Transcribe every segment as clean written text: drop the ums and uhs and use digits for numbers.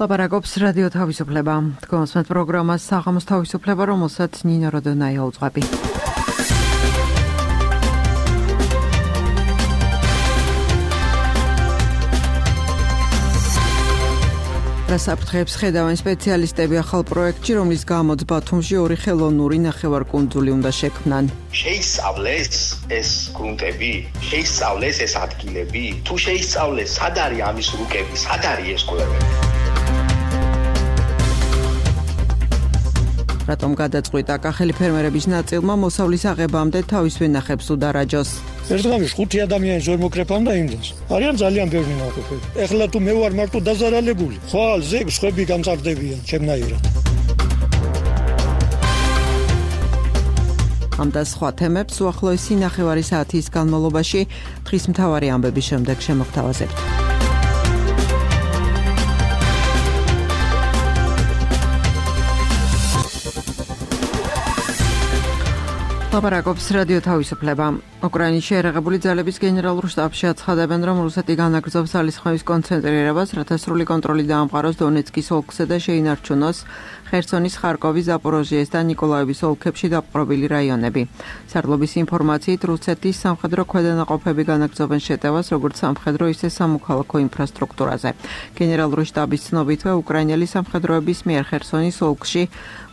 ლაპარაკობს რადიო თავისუფლება. თქვენს პროგრამას საღამოს თავისუფლება, რომელსაც ნინო როდონაია უძღვები. დასაფრთხეებს ხედავენ სპეციალისტები ახალ პროექტში, რომლის გამოც ბათუმში 2 ხელოვნური ნახევარკუნძული უნდა შექმნან. შეისწავლეს ეს გრუნტები, შეისწავლეს ეს ადგილები, თუ შეისწავლეს სად არის ამის რუკები, სად არის ეს ყველაფერი. რატომ გადაწყვიტა კახელი ფერმერების ნაწილმა მოსავლის აღებამდე თავის ვენახებს უდარაჯოს? ერთგამის 5 ადამიანის ვერ მოკრეფამ და იმდენს. არიან ძალიან ბევრი ნაყოფები. ეხლა თუ მე ვარ მარტო დაზარალებული, ხვალ ზეგს ხვები გამწარდებიან ჩემნაირად. ამ და სხვა თემებს უახლოესი ნახევარი საათის განმავლობაში დღის მთავარი ამბების შემდეგ შემოგთავაზებთ. ლაპარაკობს რადიო თავისუფლება. უკრაინის შეერაღებული ძალების გენერალურ შტაბში აცხადებენ, რომ რუსეთი განაგრძობს ძალისხმევის კონცენტრირებას, რათა სრული კონტროლი დაამყაროს დონეცკის ოლქსა და შეინარჩუნოს ხერსონის, ხარკოვის, ზაპოროჟიეს და ნიკოლაევის ოლქებში დაპყრობილი რაიონები. სარდლობის ინფორმაციით, რუსეთის სამხედრო ქვედანაყოფები განაგრძობენ შეტევას, როგორც სამხედრო, ისე სამოქალაქო ინფრასტრუქტურაზე. გენერალური შტაბის ცნობითვე, უკრაინელი სამხედროების მიერ ხერსონის ოლქში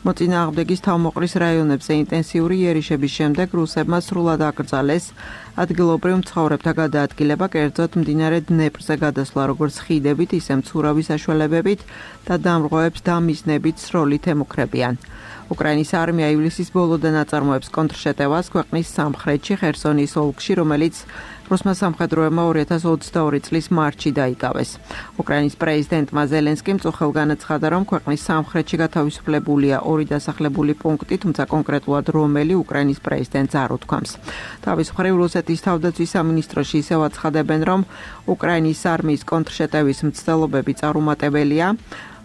მოწინააღმდეგის თავმოყრის რაიონებზე ინტენსიური იერიშების შემდეგ რუსებმა სრულად აკრძალეს ადგილობრივ მცხოვრებთა გადაადგილება, კერძოდ მდინარე დნეპრზე გადასვლა, როგორც ხიდებით, ისე მცურავი საშუალებებით და დამრღვევებს დამიზნებით სროლით ემუქრებიან. უკრაინის არმია ივლისის ბოლოდან აწარმოებს კონტრშეტევას ქვეყნის სამხრეთში ხერსონის ოლქში, რომელიც რუსმა სამხედროებმა 2022 წლის მარტში დაიკავეს. უკრაინის პრეზიდენტმა ზელენსკიმ წუხელ განაცხადა, რომ ქვეყნის სამხრეთში გათავისუფლებულია 2 დასახლებული პუნქტი, თუმცა კონკრეტულად რომელი უკრაინის პრეზიდენტს არ უთქვამს. თავის მხრივ რუსეთის თავდაცვის სამინისტროში ისევ აცხადებენ, რომ უკრაინის არმიის კონტრშეტევის მცდელობები წარუმატებელია.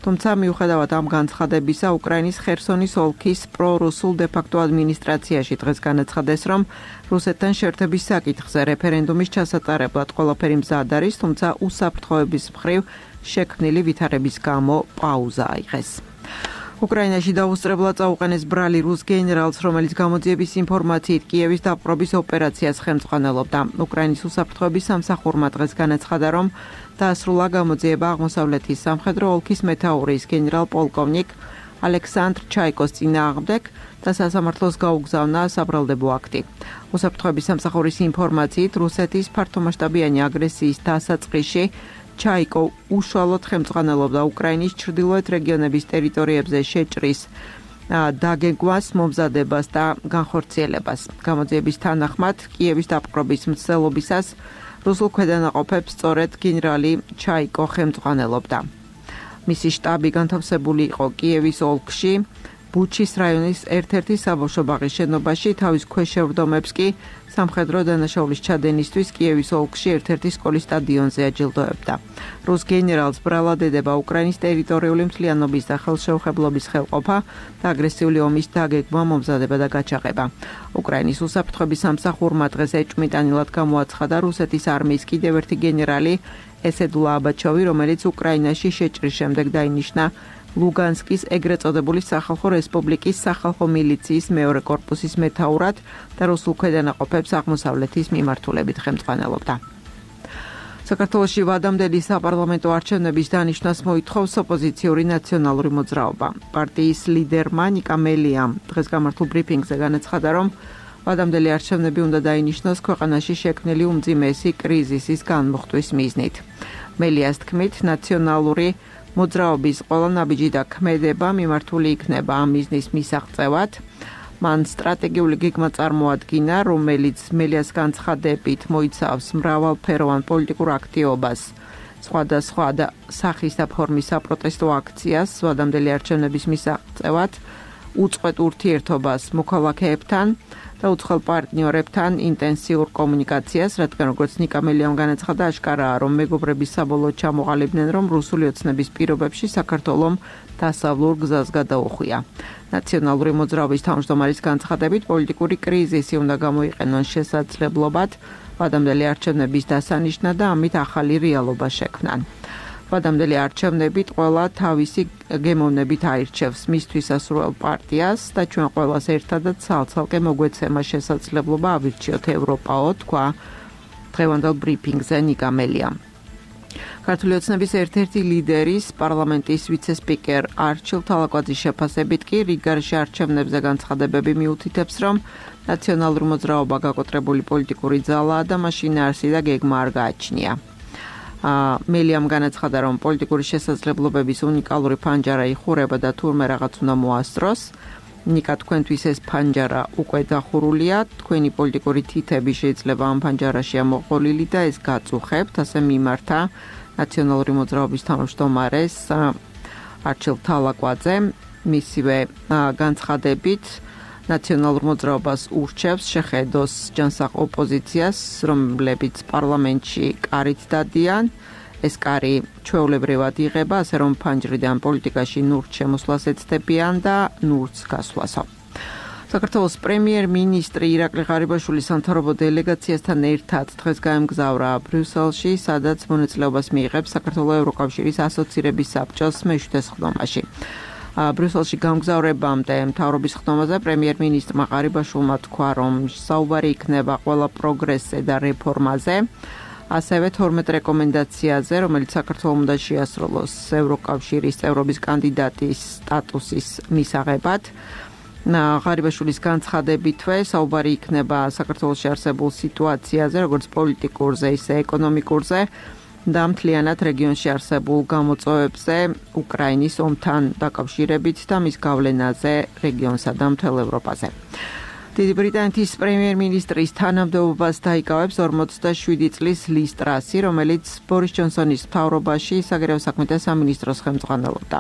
თუმცა მიუხედავად ამ განცხადებისა, უკრაინის ხერსონის ოლქის პრორუსულ დე-ფაქტო ადმინისტრაციაში დღეს განაცხადეს, რომ რუსეთთან შეერთების საკითხზე რეფერენდუმის ჩასატარებლად ყველაფერი მზად არის, თუმცა უსაფრთხოების მხრივ შექმნილი ვითარების გამო პაუზა აიღეს. უკრაინაში დაუსწრებლად წაუყენეს ბრალი რუს გენერალს, რომელიც გამოძიების ინფორმაციით კიევის დაპყრობის ოპერაციას ხელმძღვანელობდა. უკრაინის უსაფრთხოების სამსახურმა დღეს განაცხადა, რომ დაასრულა გამოძიება აღმოსავლეთის სამხედრო ოლქის მეთაურის გენერალ-პოლკოვნიკ ალექსანდრ ჩაიკოს წინააღმდეგ და სასამართლოს გაუგზავნა საბრალდებო აქტი. უსაფრთხოების სამსახურის ინფორმაციით, რუსეთის ფართომასშტაბიანი აგრესიის დასაწყისში ჩაიკო უშუალოდ ხელმძღვანელობდა უკრაინის ჩრდილოეთ რეგიონების ტერიტორიებზე შეჭრის დაგეგმვას, მომზადებას და განხორციელებას. გამოძიების თანახმად, კიევის დაპყრობის მცდელობისას რუსულ ქვედანაყოფებს სწორედ გენერალი ჩაიკო ხელმძღვანელობდა. მისი შტაბი განთავსებული იყო კიევის ოლქში, ბუჩის რაიონის ერთ-ერთი საბავშვო ბაღის შენობაში, თავის ქვეშევრდომებს კი სამხედრო დანაშაულის ჩადენისთვის კიევის ოლქში ერთ-ერთი სკოლის სტადიონზე აჯილდოებდა. რუს გენერალს ბრალად ედება უკრაინის ტერიტორიული მთლიანობის და ხელშეუხებლობის ხელყოფა და აგრესიული ომის დაგეგმვა, მომზადება და გაჩაღება. უკრაინის უსაფრთხოების სამსახურმა დღეს ეჭვმიტანილად გამოაცხადა რუსეთის არმიის კიდევ ერთი გენერალი ესედულა აბაჩოვი, რომელიც უკრაინაში შეჭრის შემდეგ დაინიშნა ლუგანსკის ეგრეთ წოდებული სახალხო რესპუბლიკის სახალხო მილიციის მეორე კორპუსის მეთაურად და რუსულ ქვედანაყოფებს აღმოსავლეთის მიმართულებით ხელმძღვანელობდა. საქართველოში ვადამდელი საპარლამენტო არჩევნების დანიშვნას მოითხოვს ოპოზიციური ნაციონალური მოძრაობა. პარტიის ლიდერმა ნიკა მელიამ დღეს გამართულ ბრიფინგზე განაცხადა, რომ ვადამდელი არჩევნები უნდა დაინიშნოს ქვეყანაში შექმნილი უმძიმესი კრიზისის განმუხტვის მიზნით. მელიას თქმით, ნაციონალური მოძრაობის ყველა ნაბიჯი და ქმედება მიმართული იქნება ამ მიზნის მისაღწევად. მან სტრატეგიული გეგმა წარმოადგინა, რომელიც მელიას განცხადებით მოიცავს მრავალფეროვან პოლიტიკურ აქტივობას, სხვადასხვა სახის და ფორმის საპროტესტო აქციას ვადამდელი არჩევნების მისაღწევად, უწყვეტ ურთიერთობას მოქალაქეებთან და უცხოელ პარტნიორებთან ინტენსიურ კომუნიკაციას, რადგან როგორც ნიკა მელიამ განაცხადა, აშკარაა, რომ მეგობრების საბოლოოდ ჩამოყალიბდნენ, რომ რუსული ოცნების პირობებში საქართველომ დასავლურ გზას გადაუხვია. ნაციონალური მოძრაობის თავმჯდომარის განცხადებით, პოლიტიკური კრიზისი უნდა გამოიყენონ შესაძლებლობად ვადამდელი არჩევნების დასანიშნად და ამით ახალი რეალობა შექმნან. ხადამდელი არჩევნებით ყველა თავისი გემოვნებით აირჩევს მისთვის ასურველ პარტიას და ჩვენ ყველას ერთადაც ცალ-ცალკე მოგვეცემა შესაძლებლობა ავირჩიოთ ევროპაო, თქვა დღევანდელ ბრიფინგზე ნიკა მელიამ. ქართული ოცნების ერთ-ერთი ლიდერის პარლამენტის ვიცე-სპიკერ არჩილ თალაკვაძის შეფასებით კი რიგარში არჩევნებზე განცხადებები მიუთითებს, რომ ნაციონალური მოძრაობა გაკოტრებული პოლიტიკური ძალაა და მაშინ არსი და გეგმა არ გააჩნია. მელიამ განაცხადა, რომ პოლიტიკური შესაძლებლობების უნიკალური ფანჯარა იხურება და თურმე რაღაც უნდა მოასწროს. ნიკა, თქვენთვის ეს ფანჯარა უკვე დახურულია, თქვენი პოლიტიკური თითები შეიძლება ამ ფანჯარაში ამოყოლილი და ეს გაწუხებთ, ასე მიმართა ნაციონალური მოძრაობის თავმჯდომარეს არჩილ თალაკვაძე. მისივე განცხადებით ნაციონალურ მოძრაობას ურჩევს შეხედოს ჯანსაღ ოპოზიციას, რომლებიც პარლამენტში კარით დადიან. ეს კარი ჩვეულებრივად იღება, ასე რომ ფანჯრიდან პოლიტიკაში ნურთ შემოსვლას ეცდებიან და ნურთს გასვლასო. საქართველოს პრემიერ-მინისტრი ირაკლი ღარიბაშვილი სამთავრობო დელეგაციასთან ერთად დღეს გაემგზავრა ბრიუსელში, სადაც მონაწილეობას მიიღებს საქართველოს ევროკავშირის ასოცირების საბჭოს მე-7 სხდომაში. ბრიუსელში გამგზავრებამდე მთავრობის ხდომაზე პრემიერ-მინისტრმა ღარიბაშვილმა თქვა, რომ საუბარი იქნება ყველა პროგრესზე და რეფორმაზე, ასევე 12 რეკომენდაციაზე, რომელიც საქართველოს უნდა შეასრულოს ევროკავშირის წევრობის კანდიდატის სტატუსის მისაღებად. ღარიბაშვილის განცხადებითვე საუბარი იქნება საქართველოში არსებულ სიტუაციაზე, როგორც პოლიტიკურზე, ისე ეკონომიკურზე და მთლიანად რეგიონში არსებულ გამოწვევებზე, უკრაინის ომთან დაკავშირებით და მის გავლენაზე რეგიონსა და მთელ ევროპაზე. დიდი ბრიტანეთის პრემიერ-მინისტრის თანამდებობას დაიკავებს 47 წლის ლის ტრასი, რომელიც ბორის ჯონსონის მთავრობაში საგარეო საქმეთა სამინისტროს ხელმძღვანელობდა.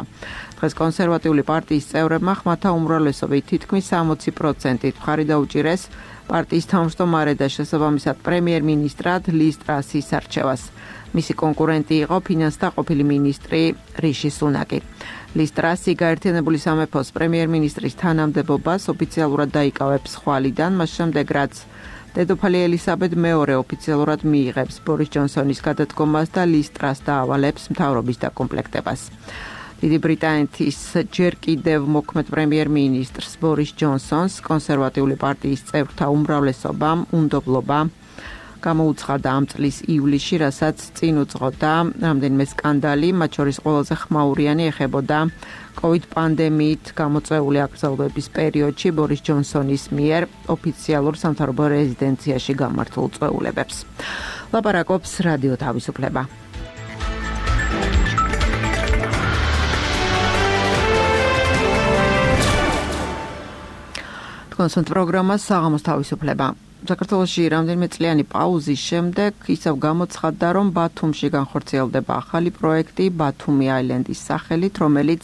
დღეს კონსერვატიული პარტიის წევრებმა ხმათა უმრავლესობით თითქმის 60%-ით მხარი დაუჭირეს პარტიის თავმჯდომარე და შესაბამისად პრემიერ-მინისტრად ლის ტრასის არჩევას. მისი კონკურენტი იყო ფინანსთა ყოფილი მინისტრი რიში სუნაკი. ლის ტრასი გაერთიანებული სამეფოს პრემიერ-მინისტრის თანამდებობას ოფიციალურად დაიკავებს ხვალიდან, მას შემდეგ რაც დედოფალი ელისაბედ მეორე ოფიციალურად მიიღებს ბორის ჯონსონის გადადგომას და ლის ტრას დაავალებს მთავრობის დაკომპლექტებას. დიდი ბრიტანეთის ჯერ კიდევ მოქმედ პრემიერ-მინისტრს ბორის ჯონსონს კონსერვატიული პარტიის წევრთა უმრავლესობამ უნდობლობა გამოუცხადა ამ წლის ივლისში, რასაც წინ უძღოდა რამდენიმე სკანდალი, მათ შორის ყველაზე ხმაურიანი ეხებოდა COVID პანდემიით გამოწვეული აკრძალვების პერიოდში ბორის ჯონსონის მიერ ოფიციალურ სამთავრობო რეზიდენციაში გამართულ წვეულებებს. ლაპარაკობს რადიო თავისუფლება. კონსულტ პროგრამა საღამოს თავისუფლება. საქართველოში რამდენიმე წლიანი პაუზის შემდეგ ისევ გამოცხადდა, რომ ბათუმში განხორციელდება ახალი პროექტი ბათუმი აილენდის სახელით, რომელიც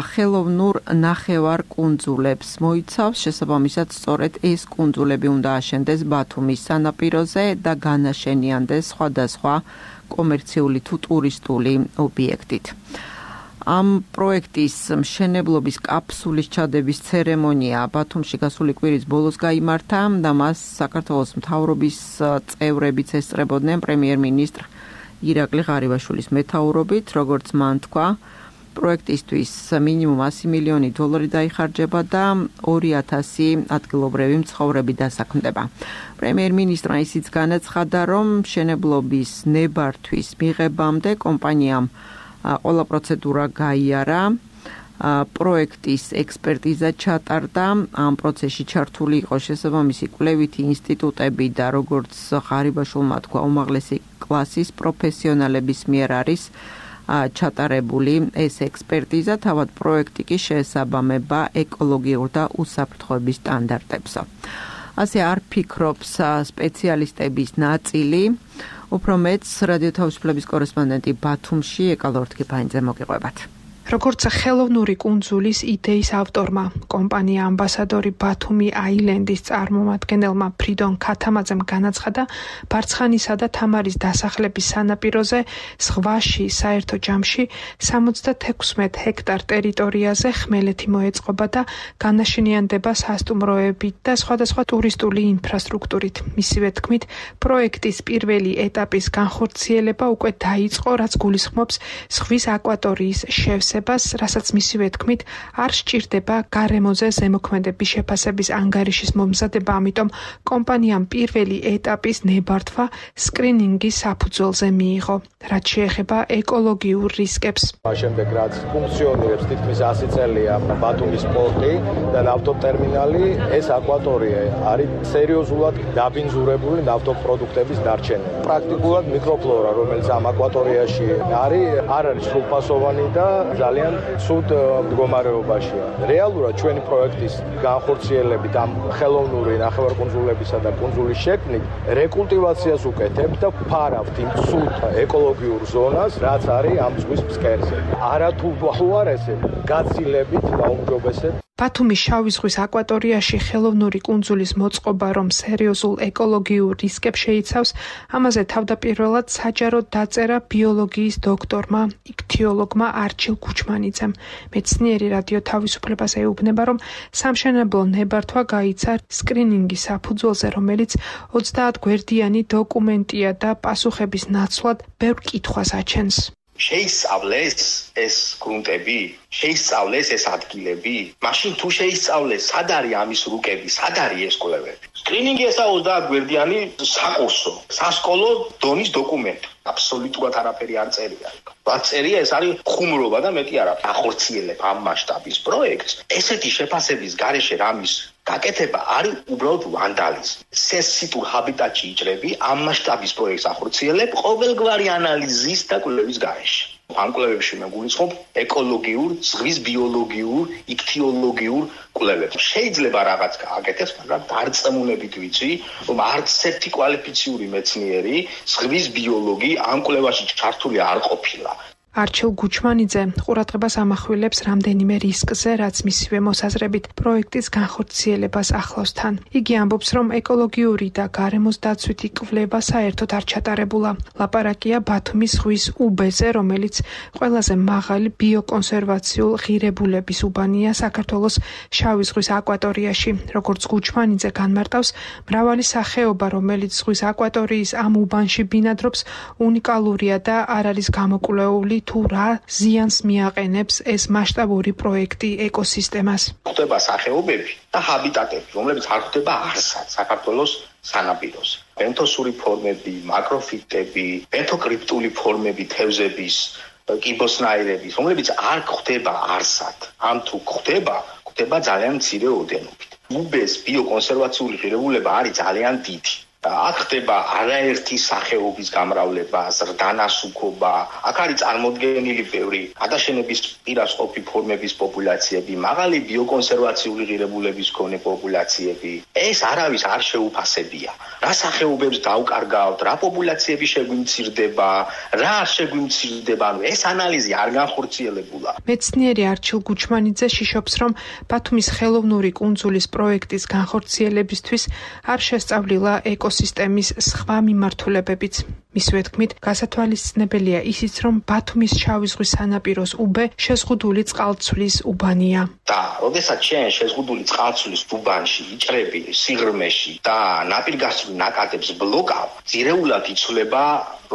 ხელოვნურ ნახევარ კუნძულებს მოიცავს. შესაბამისად, სწორედ ეს კუნძულები უნდა აშენდეს ბათუმის სანაპიროზე და განაშენიანდეს სხვადასხვა კომერციული თუ ტურისტული ობიექტით. ამ პროექტის მშენებლობის კაფსულის ჩადების ცერემონია ბათუმში გასული კვირის ბოლოს გაიმართა და მას საქართველოს მთავრობის წევრებიც ესწრებოდნენ პრემიერ-მინისტრ ირაკლი ღარიბაშვილის მეთაურობით, როგორც მან თქვა, პროექტისთვის მინიმუმ 100 მილიონი დოლარი დაიხარჯება და 2000 ადგილობრივი მცხოვრები დასაქმდება. პრემიერ-მინისტრმა ისიც განაცხადა, რომ მშენებლობის ნებართვის მიღებამდე კომპანიამ ყველა პროცედურა გაიარა, პროექტის ექსპერტიზა ჩატარდა, ამ პროცესში ჩართული იყო შესაბამისი კვლევითი ინსტიტუტები და როგორც ღარიბაშვილმა თქვა, უმაღლესი კლასის პროფესიონალების მიერ არის ჩატარებული ეს ექსპერტიზა, თავად პროექტი კი შეესაბამება ეკოლოგიურ და უსაფრთხოების სტანდარტებს. ასე არ ფიქრობს სპეციალისტების ნაწილი. უფრო მეც რადიო თავისუფლების კორესპონდენტი ბათუმში ეკალორთქიფაინძე მოგიყვებათ. როგორც ხელოვნური კუნძულის იდეის ავტორმა, კომპანია ამბასადორი ბათუმი აილენდის წარმომადგენელმა ფრიდონ ქათამაძემ განაცხადა, ბარცხანისა და თამარის დასახლების სანაპიროზე ზღვაში საერთო ჯამში 76 ჰექტარ ტერიტორიაზე ხმელეთი მოეწყობა და განაშენიანდება სასტუმროებით და სხვადასხვა ტურისტული ინფრასტრუქტურით. მისივე თქმით, პროექტის პირველი ეტაპის განხორციელება უკვე დაიწყო, რაც გულისხმობს ზღვის აკვატორიის შევსებას, რასაც მისივე თქმით არ სჭირდება გარემოზე ზემოქმედების შეფასების ანგარიშის მომზადება, ამიტომ კომპანიამ პირველი ეტაპის ნებართვა სკრინინგის საფუძველზე მიიღო, რაც შეეხება ეკოლოგიურ რისკებს. შემდეგ რაც ფუნქციონირებს თითქმის 100 წელია ბათუმის პორტი და ნავთობტერმინალი, ეს აკვატორია არის სერიოზულად დაბინძურებული ნავთობპროდუქტების დარჩენა. პრაქტიკულად მიკროფლორა, რომელიც ამ აკვატორიაში არის, არ არის სრულფასოვანი და ძალიან ცუდ მდგომარეობაშია. რეალურად ჩვენი პროექტის განხორციელებით ამ ხელოვნური ნახევარკუნძულებისა და კუნძულის შექმნით რეკულტივაციას უკეთებთ და ფარავთ იმ ცუდ ეკოლოგიურ ზონას, რაც არის ამ ზღვის ფსკერზე. არათუ არ ესე გაცილებით დაუმჯობესებთ. ბათუმის შავი ზღვის აკვატორიაში ხელოვნური კუნძულის მოწყობა, რომ სერიოზულ ეკოლოგიურ რისკებს შეიცავს, ამაზე თავდაპირველად საჯაროდ დაწერა ბიოლოგიის დოქტორმა, იქთიოლოგმა არჩილ გუჩმანიძემ. მეცნიერი რადიო თავისუფლებას ეუბნება, რომ სამშენებლო ნებართვა გაიცა სკრინინგის საფუძველზე, რომელიც 30 გვერდიანი დოკუმენტია და პასუხების ნაცვლად ბევრ კითხვას აჩენს. შეისწავლეს ეს გრუნტები, შეისწავლეს ეს ადგილები, მაშინ თუ შეისწავლეს, სად არის ამის რუკები, სად არის ეს კვლევები. სკრინინგი ესა 30 გვერდიანი საკურსო, სასკოლო დონის დოკუმენტი. აბსოლუტურად არაფერი არ წერია. რაც წერია, ეს არის ხუმრობა და მეტი არა. ახორციელებ ამ მასშტაბის პროექტს, ესეთი შეფასების გარეშე რამის გაკეთება არის უბრალოდ ვანდალიზმი. სენსიტურ ჰაბიტატში იჭრები, ამ მასშტაბის პროექტს ახორციელებ ყოველგვარი ანალიზის და კვლევის გარეშე. ამ კვლევებში მე გულისხმობ ეკოლოგიურ, ზღვის ბიოლოგიურ, იქთიოლოგიურ კვლევებს. შეიძლება რაღაც გააკეთოს, მაგრამ დარწმუნებით ვიცი, რომ არც ერთი კვალიფიციური მეცნიერი, ზღვის ბიოლოგი ამ კვლევაში ჩართული არ ყოფილა. არჩილ გუჩმანიძე ყურადღებას ამახვილებს რამდენიმე რისკზე, რაც მისივე მოსაზრებით პროექტის განხორციელებას ახლავს თან. იგი ამბობს, რომ ეკოლოგიური და გარემოს დაცვითი კვლევა საერთოდ არ ჩატარებულა. ლაპარაკია ბათუმის ზღვის უბეზე, რომელიც ყველაზე მაღალი ბიოკონსერვაციულ ღირებულების უბანია საქართველოს შავი ზღვის აკვატორიაში. როგორც გუჩმანიძე განმარტავს, მრავალი სახეობა, რომელიც ზღვის აკვატორიის ამ უბანში ბინადრობს, უნიკალურია და არ არის გამოკვლეული თუ რა ზიანს მიაყენებს ეს მასშტაბური პროექტი ეკოსისტემას. ხდება სახეობები და ჰაბიტატები, რომლებიც არ ხდება არსად საქართველოს სანაპიროზე. ბენთოსური ფორმები, მაკროფიტები, ბენთოკრიპტული ფორმები, თევზების, კიბოსნაირების, რომლებიც არ ხდება არსად. ამ თუ ხდება ძალიან მცირე ოდენობით. უბეს ბიოკონსერვაციული ღირებულება არის ძალიან დიდი. აქ ხდება არაერთი სახეობის გამრავლება, ზრდანასუქობა, აქ არის წარმოდგენილი ბევრი გადაშენების პირას ყოფი ფორმების პოპულაციები, მაღალი ბიოკონსერვაციული ღირებულების მქონე პოპულაციები. ეს არავის არ შეუფასებია. რა სახეობებს დავკარგავთ, რა პოპულაციები შეგვიმცირდება, რა არ შეგვიმცირდება, ეს ანალიზი არ განხორციელებულა. მეცნიერი არჩილ გუჩმანიძე შიშობს, რომ ბათუმის ხელოვნური კუნძულის პროექტის განხორციელებისთვის არ შესწავლილა ეკოსისტემის სხვა მიმართულებებიც. მისივე თქმით, გასათვალისწინებელია ისიც, რომ ბათუმის შავი ზღვის სანაპიროს უბე შეზღუდული წყალცვლის უბანია. და როდესაც შენ შეზღუდული წყალცვლის უბანში იჭრები სიღრმეში და ნაპირგასწვრივ ნაკადებს ბლოკავ, ძირეულად იცვლება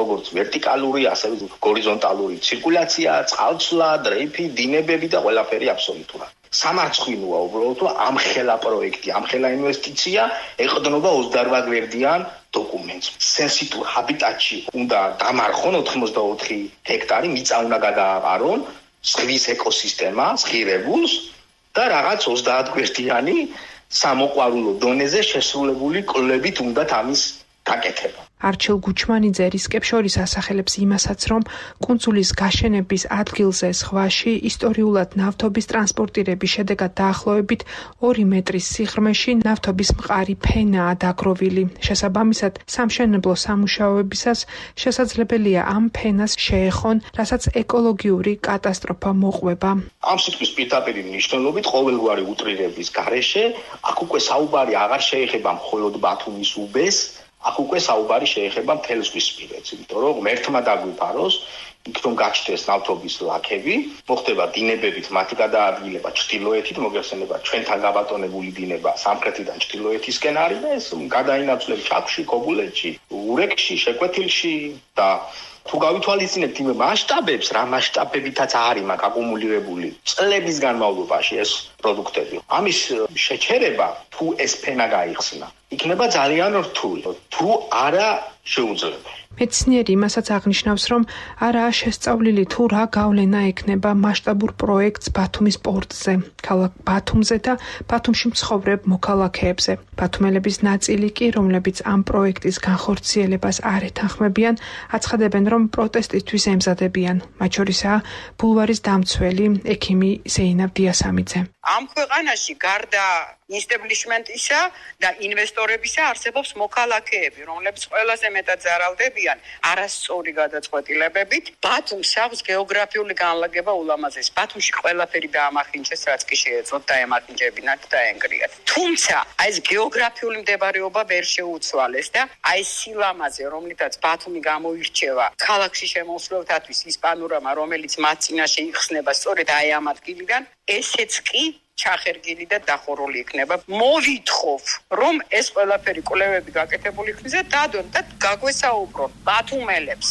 როგორც ვერტიკალური, ასევე ჰორიზონტალური ცირკულაცია, წყალცვლა, დრეიფი, დინებები და ყველაფერი აბსოლუტურად. სამარცხვინოა უბრალოდ, რომ ამხელა პროექტი, ამხელა ინვესტიცია ეყრდნობა 28 გვერდიან დოკუმენტს. სენსიტურ ჰაბიტატში უნდა დამარხონ 84 ჰექტარი, მიწა უნდა გადააყარონ ზღვის ეკოსისტემას, ღირებულს და რაღაც 30 გვერდიანი სამოყვარულო დონეზე შესრულებული კვლევით უნდათ ამის გაკეთება. არჩილ გუჩმანიძე რისკებს შორის ასახელებს იმასაც, რომ კუნძულის გაშენების ადგილზე ზღვაში ისტორიულად ნავთობის ტრანსპორტირების შედეგად დაახლოებით 2 მეტრის სიღრმეში ნავთობის მყარი ფენაა დაგროვილი. შესაბამისად, სამშენებლო სამუშაოებისას შესაძლებელია ამ ფენას შეეხონ, რასაც ეკოლოგიური კატასტროფა მოყვება. ამ სიტყვის პირდაპირი მნიშვნელობით ყოველგვარი უტრირების გარეშე აქ უკვე საუბარი აღარ შეეხება მხოლოდ ბათუმის უბეს, აქ უკვე საუბარი შეეხება მთელ ზღვისპირეთს, იმიტომ რომ ერთმა დაგვიფაროს, იქ რომ გაჩნდეს ნავთობის ლაქები, მოხდება დინებებით მათი გადაადგილება ჩრდილოეთით, მოგეხსენება ჩვენთან გაბატონებული დინება სამხრეთიდან ჩრდილოეთისკენ არის და ეს გადაინაცვლებს ჩაქვში, ქობულეთში, ურეკში, შეკვეთილში და თუ გავითვალისწინებთ იმ მასშტაბებს, რა მასშტაბებითაც არის მაგ აკუმულირებული წლების განმავლობაში ეს პროდუქტები. ამის შეჩერება, თუ ეს ფენა გაიხსნა, იქნება ძალიან რთული, თუ არა შეუძლებელი. მეცნიერი იმასაც აღნიშნავს, რომ არაა შესწავლილი თუ რა გავლენა ექნება მასშტაბურ პროექტს ბათუმის პორტზე, ქალაქ ბათუმზე და ბათუმში მცხოვრებ მოქალაქეებზე. ბათუმელების ნაწილი კი, რომლებიც ამ პროექტის განხორციელებას არ ეთანხმებიან, აცხადებენ, რომ პროტესტისთვის ემზადებიან. მათ შორისაა ბულვარის დამცველი ექიმი ზეინაბ დიასამიძე. ამ ქვეყანაში გარდა ინსტაბლიშმენტისა და ინვესტორებისა არსებობს მოქალაქეები, რომლებიც ყველაზე მეტად ზარალდებიან არასწორი გადაწყვეტილებებით. ბათუმს აქვს გეოგრაფიული განლაგება ულამაზესი. ბათუმში ყველაფერი დაამახინჯეს, რაც კი შეეძლოთ დაემახინჯებინათ და დაენგრიათ. თუმცა აი ეს გეოგრაფიული მდებარეობა ვერ შეუცვალეს და აი ეს სილამაზე, რომლითაც ბათუმი გამოირჩევა ქალაქში შემოსვლელთათვის ის პანორამა, რომელიც მათ წინაშე იხსნება სწორედ აი ამ ადგილიდან, ესეც კი ჩახერგილი და დახურული იქნება. მოვითხოვ, რომ ეს ყველაფერი კვლევები გაკეთებული იქნეს და დადონ და გაგვესაუბრონ ბათუმელებს.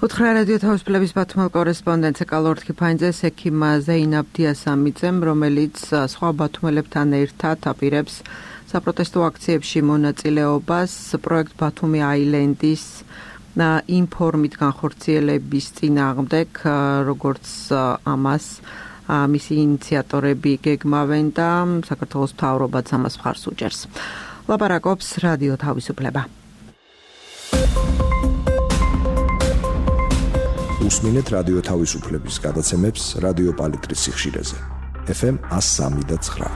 უთხრა რადიო თავისუფლების ბათუმელ კორესპონდენტს ეკალორთქი ფაინძეს ექიმ ზეინაბ დიასამიძემ, რომელიც სხვა ბათუმელებთან ერთად აპირებს საპროტესტო აქციებში მონაწილეობას პროექტ ბათუმი აილენდის ინფორმით განხორციელების წინააღმდეგ, როგორც ამას მისი ინიციატორები გეგმავენ და საქართველოს მთავრობაც ამას მხარს უჭერს. ლაპარაკობს რადიო თავისუფლება. უსმინეთ რადიო თავისუფლების გადაცემებს რადიო პალიტრის სიხშირეზე. FM 103.9.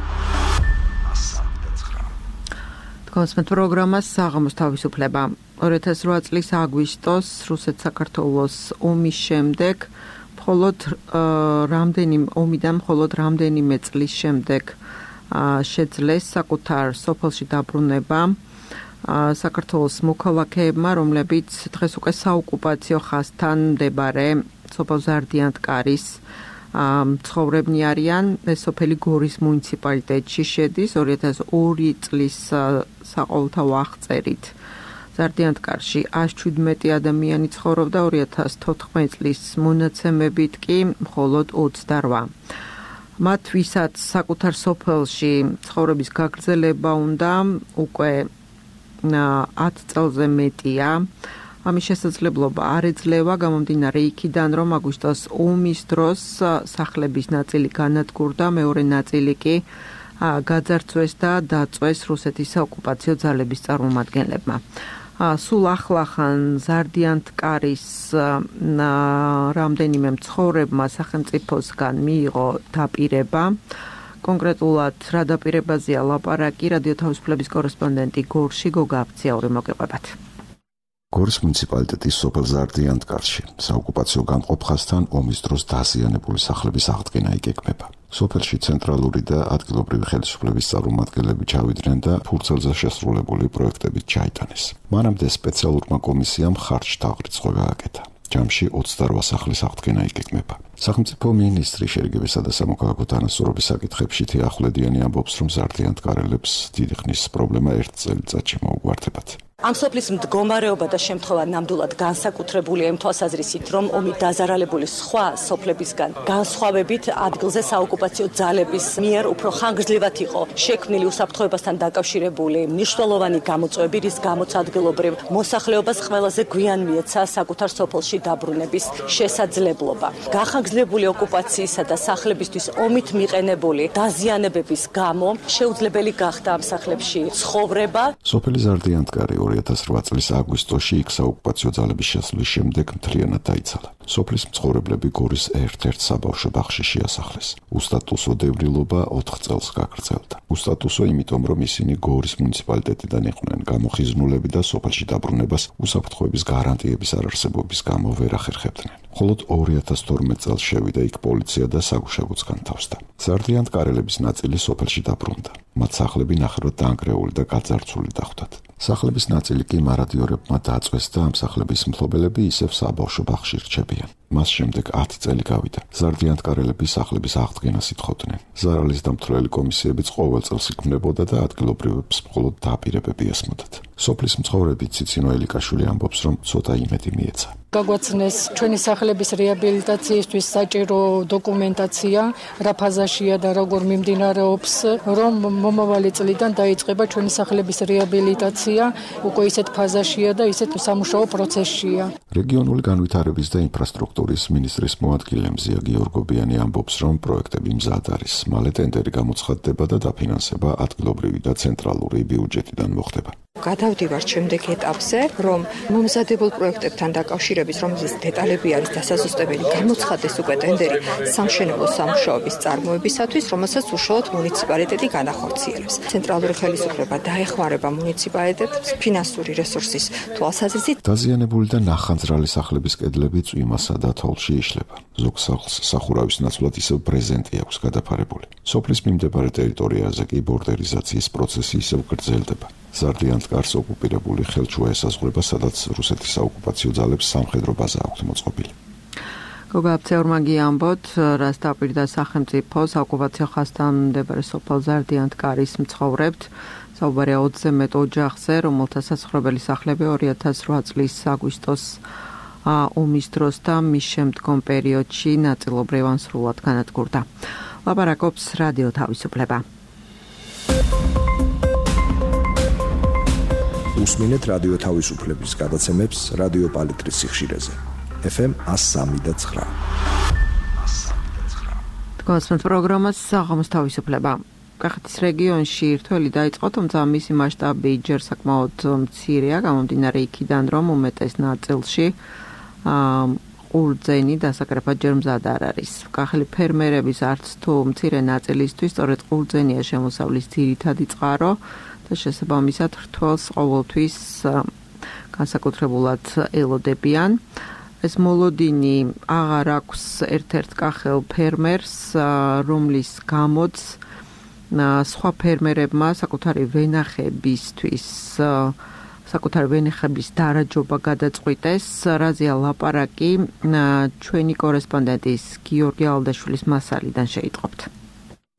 თქვენს პროგრამას საღამოს თავისუფლება. 2008 წლის აგვისტოს რუსეთ-საქართველოს ომის შემდეგ მხოლოდ რამდენიმე წლის შემდეგ შეძლეს საკუთარ სოფელში დაბრუნება საქართველოს მოქალაქეებმა, რომლებიც დღეს უკვე საოკუპაციო ხაზთან მდებარე სოფელ ზარდიანტკარის მცხოვრებნი არიან. ეს სოფელი გორის მუნიციპალიტეტში შედის. 2002 წლის საყოველთაო აღწერით ზარდიანტკარში 117 ადამიანი ცხოვრობდა, 2014 წლის მონაცემებით კი მხოლოდ 28. მათ ვისაც საკუთარ სოფელში ცხოვრების გაგრძელება უნდა, უკვე 10 წელზე მეტია. ამის შესაძლებლობა არ ეძლევა, გამომდინარე იქიდან, რომ აგვისტოს ომის დროს სახლების ნაწილი განადგურდა, მეორე ნაწილი კი გაძარცვეს და დაწვეს რუსეთის საოკუპაციო ძალების წარმომადგენლებმა. სულ ახლახან ზარდიანტკარის რამდენიმე მცხოვრებმა სახელმწიფოსგან მიიღო დაპირება. კონკრეტულად რა დაპირებაზეა ლაპარაკი, რადიო თავისუფლების კორესპონდენტი გორში გოგა აფციური მოგეყვებათ. გორის მუნიციპალიტეტის სოფელ ზარდიანტკარში საოკუპაციო განყოფხასთან ომის დროს დაზიანებული სახლების აღდგენა იგეგმება. სოფელში ცენტრალური და ადგილობრივი ხელისუფლების წარმომადგენლები ჩავიდნენ და ფურცელზე შესრულებული პროექტებით ჩაიტანეს. მანამდე სპეციალურმა კომისიამ ხარჯ-თაღრიცხვა გააკეთა. ჯამში 28 სახლის აღდგენა იგეგმება. სახელმწიფო მინისტრი შერიგებისა და სამოქალაქო თანასწორობის საკითხებში თეა ახვლედიანი ამბობს, რომ ზარდიანტკარელებს დიდი ხნის პრობლემა ერთ წელიწადში მოუგვარდებათ. ამ სოფლის მდგომარეობა და შემთხვევა ნამდვილად განსაკუთრებულია იმ თვალსაზრისით, რომ ომით დაზარალებული სხვა სოფლებისგან განსხვავებით ადგილზე საოკუპაციო ძალების მიერ უფრო ხანგრძლივად იყო შექმნილი უსაფრთხოებასთან დაკავშირებული მნიშვნელოვანი გამოწვევები, რის გამოც ადგილობრივ მოსახლეობას ყველაზე გვიან მიეცა საკუთარ სოფელში დაბრუნების შესაძლებლობა. განხანგრძლივებული ოკუპაციისა და სახლებისთვის ომით მიყენებული დაზიანებების გამო შეუძლებელი გახდა ამ სახლებში ცხოვრება. სოფელი ზარდიანტკარი 2008 წლის აგვისტოში იქ საოკუპაციო ძალების შესვლის შემდეგ მთლიანად დაიცალა. სოფლის მცხოვრებლები გორის ერთ-ერთ საბავშვო ბაღში შეასახლეს. უსტატუსო დევნილობა 4 წელს გაგრძელდა. უსტატუსო იმიტომ, რომ ისინი გორის მუნიციპალიტეტიდან იყვნენ გამოხიზნულები და სოფელში დაბრუნებას უსაფრთხოების გარანტიების არარსებობის გამო ვერ ახერხებდნენ. მხოლოდ 2012 წელს შევიდა იქ პოლიცია და საგუშაგოც განთავსდა. ზარდიანტკარელების ნაწილი სოფელში დაბრუნდა. მათ სახლები ნახევრად დაანგრეული და გაძარცვული დახვდათ. სახლების ნაწილი კი მარადიორებმა დაწვეს და ამ სახლების მფლობელები ისევ საბავშვო ბაღში რჩებიან. მას შემდეგ 10 წელი გავიდა. ზარდიანტკარელები სახლების აღდგენას ითხოვდნენ. ზარალის დამთვლელი კომისიებიც ყოველ წელს იქმნებოდა და ადგილობრივებს მხოლოდ დაპირებები ესმოდათ. სოფლის მცხოვრები ციცინო ელიკაშვილი ამბობს, რომ ცოტა იმედი მიეცა. გაგვაცნეს ჩვენი სახლების რეაბილიტაციისთვის საჭირო დოკუმენტაცია, რა ფაზაშია და როგორ მიმდინარეობს, რომ მომავალი წლიდან დაიწყება ჩვენი სახლების რეაბილიტაცია, უკვე ისეთ ფაზაშია და ისეთ სამუშაო პროცესშია. რეგიონული განვითარების და ინფრასტრუქტურის მინისტრის მოადგილე მზია გიორგობიანი ამბობს, რომ პროექტები მზად არის. მალე ტენდერი გამოცხადდება და დაფინანსება ადგილობრივი და ცენტრალური ბიუჯეტიდან მოხდება. გადავდივართ შემდეგ ეტაპზე, რომ მომზადებულ პროექტებთან დაკავშირების, რომლის დეტალები არის დასაზუსტებელი, გამოცხადდეს უკვე ტენდერი სამშენებლო სამუშაოების წარმოებისათვის, რომელსაც უშუალოდ მუნიციპალიტეტი განახორციელებს. ცენტრალური ხელისუფლება დაეხმარება მუნიციპალიტეტს ფინანსური რესურსის თვალსაზრისით. დაზიანებული და ნახანძრალი სახლების კედლები წვიმასა და თოვლში იშლება. ზოგ სახლს სახურავის ნაცვლად ისევ ბრეზენტი აქვს გადაფარებული. სოფლის მიმდებარე ტერიტორიაზე კი ბორდერიზაციის პროცესი ისევ გრძელდება. ზარდიანტკარს ოკუპირებული ხელჩუა ესაზღვრება, სადაც რუსეთის საოკუპაციო ძალებს სამხედრო ბაზა აქვს მოწყობილი. გოგა აფცეურმაგი ამბობთ, რაც დაპირდა სახელმწიფო საოკუპაციო ხაზთან მდებარე სოფელ ზარდიანტკარის მცხოვრებთ. საუბარია 20-ზე მეტ ოჯახზე, რომელთა საცხოვრებელი სახლები 2008 წლის აგვისტოს ომის დროს და მის შემდგომ პერიოდში ნაწილობრივ ან სრულად განადგურდა. ლაპარაკობს რადიო თავისუფლება. უსმინეთ რადიო თავისუფლების გადაცემებს რადიო პალიტრის სიხშირეზე. FM 103.9. თქვენს პროგრამას საღამოს თავისუფლება. კახეთის რეგიონში ერთველი დაიწყო, თუმცა მისი მასშტაბი ჯერ საკმაოდ მცირეა, გამომდინარე იქიდან, რომ უმეტეს ნაწილში ყურძენი დასაკრეფად ჯერ მზად არ არის. კახელი ფერმერების არც თუ მცირე ნაწილისთვის სწორედ ყურძენია შემოსავლის ძირითადი წყარო და შესაბამისად რთველს ყოველთვის განსაკუთრებულად ელოდებიან. ეს მოლოდინი აღარ აქვს ერთ-ერთ კახელ ფერმერს, რომლის გამოც სხვა ფერმერებმა საკუთარი ვენახებისთვის საკუთარი ვენახების დარაჯობა გადაწყვიტეს. რაზეა ლაპარაკი ჩვენი კორესპონდენტის გიორგი ალდაშვილის მასალიდან შეიტყობთ.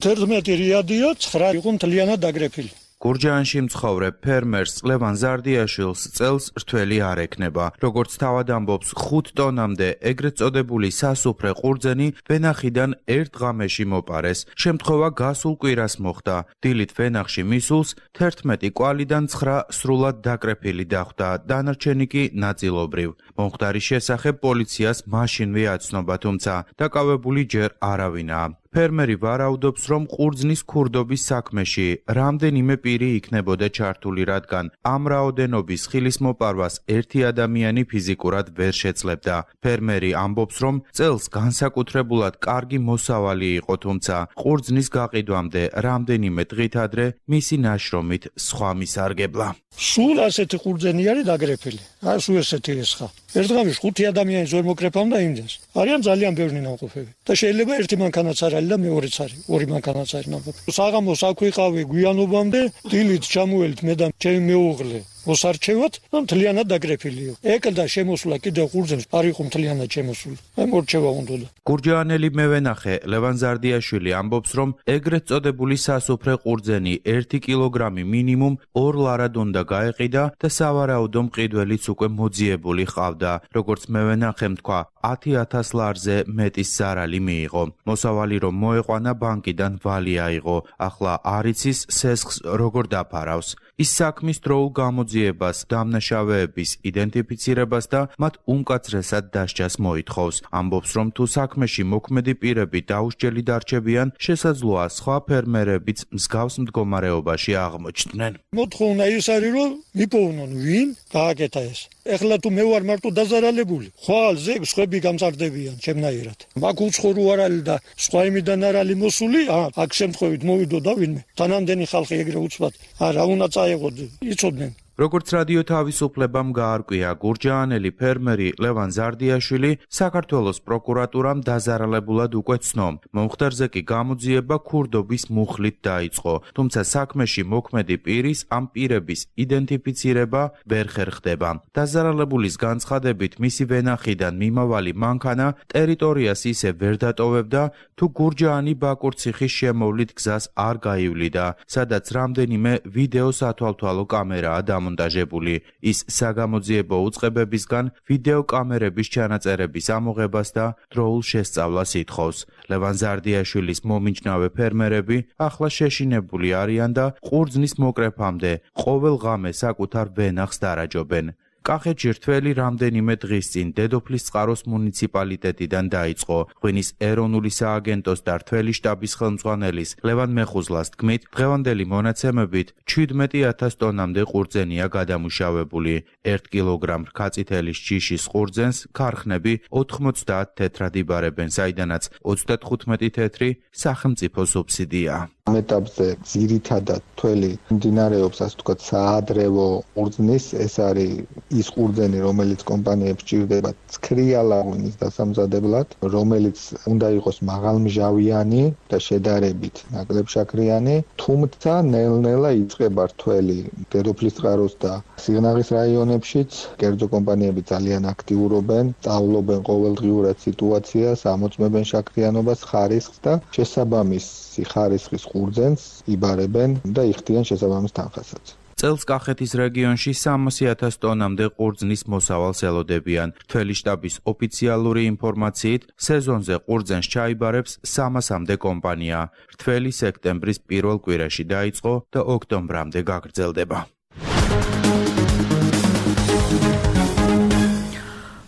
11 რიადიო 9 იყო მთლიანად დაგრეფილი. გურჯაანში მცხოვრებ ფერმერს ლევან ზარდიაშვილს წელს რთველი არ ექნება. როგორც თავად ამბობს, 5 ტონამდე ეგრეთ წოდებული სასუფრე ყურძენი ვენახიდან ერთ ღამეში მოპარეს. შემთხვევა გასულ კვირას მოხდა. დილით ვენახში მისულს 11 კვალიდან 9 სრულად დაკრეფილი დახვდა, დანარჩენი კი ნაწილობრივ. მომხდარის შესახებ პოლიციას მაშინვე აცნობა, თუმცა დაკავებული ჯერ არავინაა. ფერმერი ვარაუდობს, რომ ყურძნის ქურდობის საქმეში რამდენიმე პირი იქნებოდა ჩართული, რადგან ამ რაოდენობის ხილის მოპარვას ერთი ადამიანი ფიზიკურად ვერ შეძლებდა. ფერმერი ამბობს, რომ წელს განსაკუთრებულად კარგი მოსავალი იყო, თუმცა ყურძნის გაყიდვამდე რამდენიმე დღით ადრე მისი ნაშრომით სხვა მისარგებლა. სულ ასეთი ყურძენი არის დაგრეფილი. სულ ესეთი ესხა. ერთ დღეში 5 ადამიანი ზარმოკრეფამ და იმდენს. არიან ძალიან ბევრი ნამყოფები. და შეიძლება ერთი მანქანაც არ არის და მეორეც არის, ორი მანქანაც არის ნამყოფი. საღამოს აქ ვიყავი გვიანობამდე, დილით ჩამოველთ მე და ჩემი მეუღლე. მოსარჩევად და მთლიანად დაგრეფილიო. ეკდა შემოსულა კიდევ ყურძენს, არ იყო მთლიანად შემოსული. აი მორჩევა უნდა. გურჯაანელი მევენახე ლევან ზარდიაშვილი ამბობს, რომ ეგრეთ წოდებული სასუფრე ყურძენი 1 კილოგრამი მინიმუმ 2 ლარად უნდა გაეყიდა და სავარაუდო მყიდველიც უკვე მოძიებული ჰყავდა. როგორც მევენახემ თქვა, 10,000 ლარზე მეტის ზარალი მიიღო. მოსავალი რომ მოეყვანა ბანკიდან ვალი აიღო. ახლა არ იცის სესხს როგორ დაფარავს. ის საქმის დროულ გამოძიებას, დამნაშავეების იდენტიფიცირებას და მათ უმკაცრესად დასჯას მოითხოვს. ამბობს, რომ თუ საქმეში მოქმედი პირები დაუსჯელი დარჩებიან, შესაძლოა სხვა ფერმერებიც მსგავს მდგომარეობაში აღმოჩნდნენ. მოთხოვნა ის არის, რომ მიპოვნონ ვინ გააკეთა ეს. ეხლა თუ მე ვარ მარტო დაზარალებული, ხვალ ზეგ სხვები გამწარდებიან ჩემნაირად. მაგ უცხორო არალი და სხვა იმიდან არალი მოსული, აქ შემთხვევით მოვიდოდა ვინმე. თანამდენი ხალხი ეგრე უცბად არა უნდა წაეღოთ, იცოდნენ. როგორც რადიო თავისუფლებამ გაარკვია, გურჯაანელი ფერმერი ლევან ზარდიაშვილი საქართველოს პროკურატურამ დაზარალებულად უკვე ცნო. მომხდარზე კი გამოძიება ქურდობის მუხლით დაიწყო, თუმცა საქმეში მოქმედი პირის ამ პირების იდენტიფიცირება ვერ ხერხდება. დაზარალებულის განცხადებით, მისი ვენახიდან მიმავალი მანქანა ტერიტორიას ისე ვერ დატოვებდა, თუ გურჯაანი ბაკურციხის შემოვლით გზას არ გაივლიდა, სადაც რამდენიმე ვიდეო სათვალთვალო კამერაა დამონტაჟებული. ის საგამოძიებო უწყებებისგან ვიდეო კამერების ჩანაწერების ამოღებას და დროულ შესწავლას ითხოვს. ლევან ზარდიაშვილის მომიჯნავე ფერმერები ახლა შეშინებული არიან და ყურძნის მოკრეფამდე ყოველ ღამე საკუთარ ვენახს დარაჯობენ. კახეთში რთველი რამდენიმე დღის წინ დედოფლის წყაროს მუნიციპალიტეტიდან დაიწყო. ღვინის ეროვნული სააგენტოს და რთველი შტაბის ხელმძღვანელის ლევან მეხუზლას თქმით, დღევანდელი მონაცემებით 17,000 ტონამდე ყურძენია გადამუშავებული. 1 კილოგრამ რქაწითელის ჯიშის ყურძენს ქარხნები 90 თეთრად იბარებენ, საიდანაც 35 თეთრი სახელმწიფო სუბსიდია. ამ ეტაპზე ძირითადად თველი მიმდინარეობს, ასე ვთქვათ, საადრევო ყურძნის, ეს არის ის ყურძენი, რომელიც კომპანიებს ჭირდება ცქრიალა ღვინის დასამზადებლად, რომელიც უნდა იყოს მაღალმჟავიანი და შედარებით ნაკლებშაქრიანი, თუმცა ნელ-ნელა იწყება რთველი დედოფლის წყაროს და სიღნაღის რაიონებშიც. კერძო კომპანიები ძალიან აქტიურობენ, სწავლობენ ყოველდღიურად სიტუაციას, ამოწმებენ შაქრიანობას, ხარისხს და შესაბამისი ხარისხის ყურძენს იბარებენ და იხდიან შესაბამის თანხასაც. წელს კახეთის რეგიონში 300,000 ტონამდე ყურძნის მოსავალს ელოდებიან. რთველი შტაბის ოფიციალური ინფორმაციით, სეზონზე ყურძენს ჩაიბარებს 300-მდე კომპანია. რთველი სექტემბრის პირველ კვირაში დაიწყო და ოქტომბრამდე გაგრძელდება.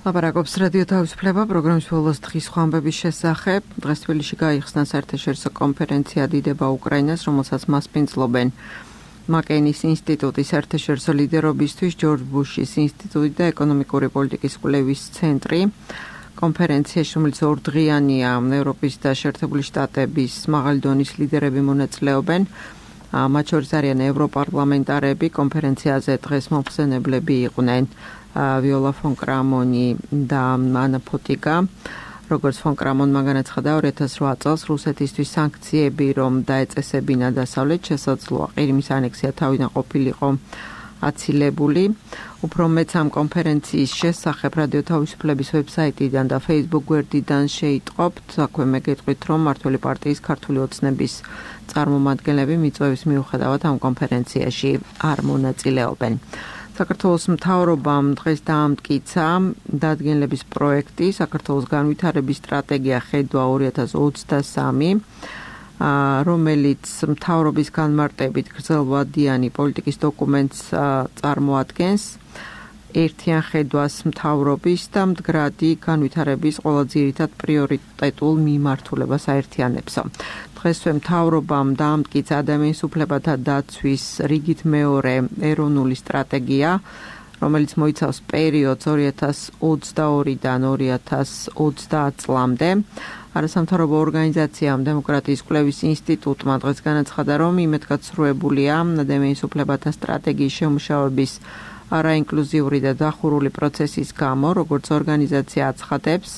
ლაპარაკობს რადიო თავისუფლება პროგრამის ბოლოს დღის ხვამბების შესახებ. დღეს თბილისში გაიხსნა საერთაშორისო კონფერენცია დიდება უკრაინას, რომელსაც მასპინძლობენ მაკეინის ინსტიტუტის საერთაშორისო ლიდერობისთვის, ჯორჯ ბუშის ინსტიტუტი და ეკონომიკური პოლიტიკის კვლევის ცენტრი. კონფერენციაში, რომელიც ორდღიანია, ევროპის და შეერთებული შტატების მაღალი დონის ლიდერები მონაწილეობენ. მათ შორის არიან ევროპარლამენტარები. კონფერენციაზე დღეს მომხსენებლები იყვნენ ვიოლა ფონ კრამონი და ანა ფოტიკა. როგორც ფონ კრამონმა განაცხადა, 2008 წელს რუსეთისთვის სანქციები რომ დაეწესებინა დასავლეთ, შესაძლოა ყირიმის ანექსია თავიდან ყოფილიყო აცილებული. უფრო მეც ამ კონფერენციის შესახებ რადიო თავისუფლების ვებსაიტიდან და Facebook გვერდიდან შეიტყობთ. აქვე მეგეთყვით, რომ მმართველი პარტიის ქართული ოცნების წარმომადგენლები მიწვევის მიუხედავად ამ კონფერენციაში არ მონაწილეობენ. საქართველოს მთავრობამ დღეს დაამტკიცა დადგენილების პროექტი საქართველოს განვითარების სტრატეგია ხედვა 2023, რომელიც მთავრობის განმარტებით გრძელვადიანი პოლიტიკის დოკუმენტს წარმოადგენს. ერთიან ხედვას მთავრობის და მდგრადი განვითარების ყველა ძირითად პრიორიტეტულ მიმართულებას აერთიანებსო. დღესვე მთავრობამ დაამტკიცა ადამიანის უფლებათა დაცვის რიგით მეორე ეროვნული სტრატეგია, რომელიც მოიცავს პერიოდს 2022-დან 2030 წლამდე. არასამთავრობო ორგანიზაციამ დემოკრატიის კვლევის ინსტიტუტმა დღეს განაცხადა, რომ იმედგაცრუებულია ადამიანის უფლებათა სტრატეგიის შემუშავების არაინკლუზიური და დახურული პროცესის გამო, როგორც ორგანიზაცია აცხადებს,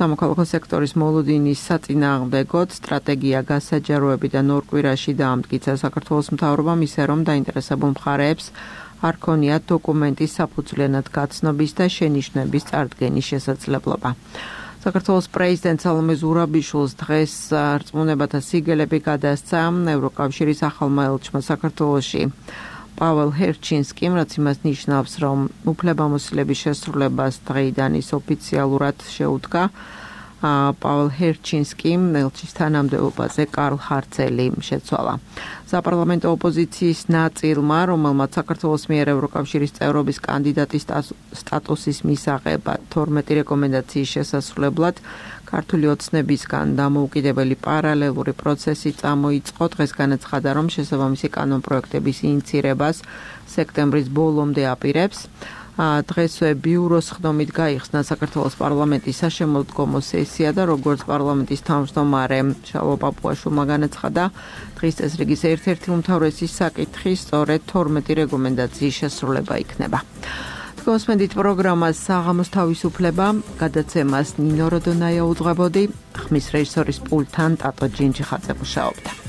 სამოქალაქო სექტორის მოლოდინის საწინააღმდეგოდ სტრატეგია გასაჯაროებიდან 2 კვირაში დაამტკიცა საქართველოს მთავრობამ, ისე რომ დაინტერესებულ მხარეებს არ ქონიათ დოკუმენტის საფუძვლიანად გაცნობის და შენიშვნების წარდგენის შესაძლებლობა. საქართველოს პრეზიდენტ სალომე ზურაბიშვილს დღეს რწმუნებათა სიგელები გადასცა ევროკავშირის ახალმა ელჩმა საქართველოში პაველ ჰერჩინსკიმ, რაც იმას ნიშნავს, რომ უფლებამოსილების შესრულებას დღეიდან ის ოფიციალურად შეუდგა. პაველ ჰერჩინსკიმ ელჩის თანამდებობაზე კარლ ჰარცელი შეცვალა. საპარლამენტო ოპოზიციის ნაწილმა, რომელმაც საქართველოს მიერ ევროკავშირის წევრობის კანდიდატის სტატუსის მისაღებად 12 რეკომენდაციის შესასრულებლად ქართული ოცნებისგან დამოუკიდებელი პარალელური პროცესი წამოიწყო. დღეს განაცხადა, რომ შესაბამისი კანონპროექტების ინიცირებას სექტემბრის ბოლომდე აპირებს. დღესვე ბიუროს ხდომით გაიხსნა საქართველოს პარლამენტის საშემოდგომო სესია და როგორც პარლამენტის თავმჯდომარე შალვა პაპუაშვილმა განაცხადა, დღის წესრიგის ერთ-ერთი უმთავრესი საკითხი სწორედ 12 რეკომენდაციის შესრულება იქნება. თქვენსმენდით პროგრამას საღამოს თავისუფლება, გადაცემას ნინო როდონაია უძღვებოდი, ხმის რეჟისორის პულტთან ტატო ჯინჯიხაძე მუშაობდა.